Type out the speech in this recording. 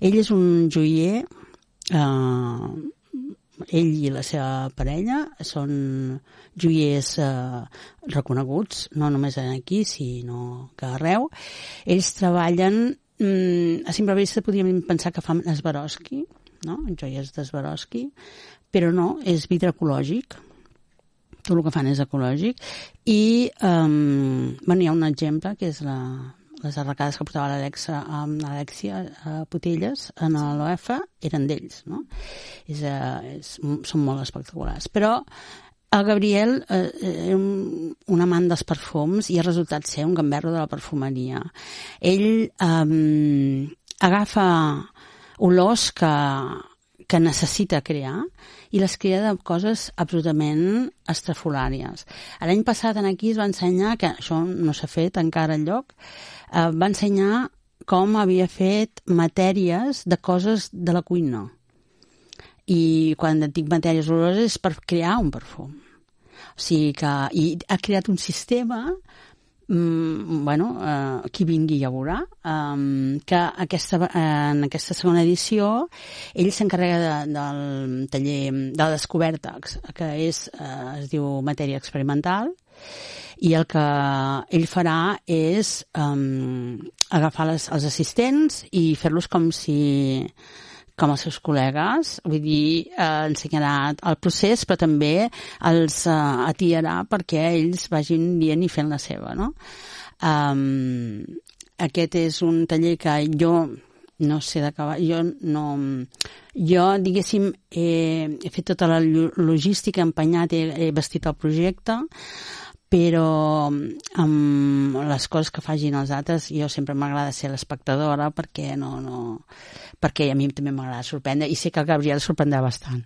Ell és un joier, ell i la seva parella són joiers reconeguts, no només aquí, sinó que arreu. Ells treballen, a simple vista podríem pensar que fan Swarovski, no? Joies de Swarovski, però no, és vidre ecològic. Tot el que fan és ecològic. I hi ha un exemple, que és les arracades que portava l'Alexia Potelles en l'OF, eren d'ells, no? Són molt espectaculars. Però el Gabriel era un amant dels perfums i ha resultat ser un gamberro de la perfumeria. Ell agafa olors que necessita crear i les crea de coses absolutament estrafolàries. L'any passat aquí es va ensenyar, que això no s'ha fet encara enlloc, va ensenyar com havia fet matèries de coses de la cuina. I quan dic matèries oloroses és per crear un perfum. O sigui que ha creat un sistema, qui vingui ja veurà, que en aquesta segona edició ell s'encarrega del taller de la descoberta, que es diu matèria experimental, i el que ell farà és agafar els assistents i fer-los com els seus col·legues, vull dir, ensenyarà el procés, però també els atirarà perquè ells vagin dient i fent la seva, no? Aquest és un taller que jo no sé d'acabar, jo diguéssim he fet tota la logística, he empenyat, he vestit el projecte, però amb les coses que facin els altres jo sempre m'agrada ser l'espectadora perquè a mi també m'agrada sorprendre i sé que el Gabriel sorprendrà bastant.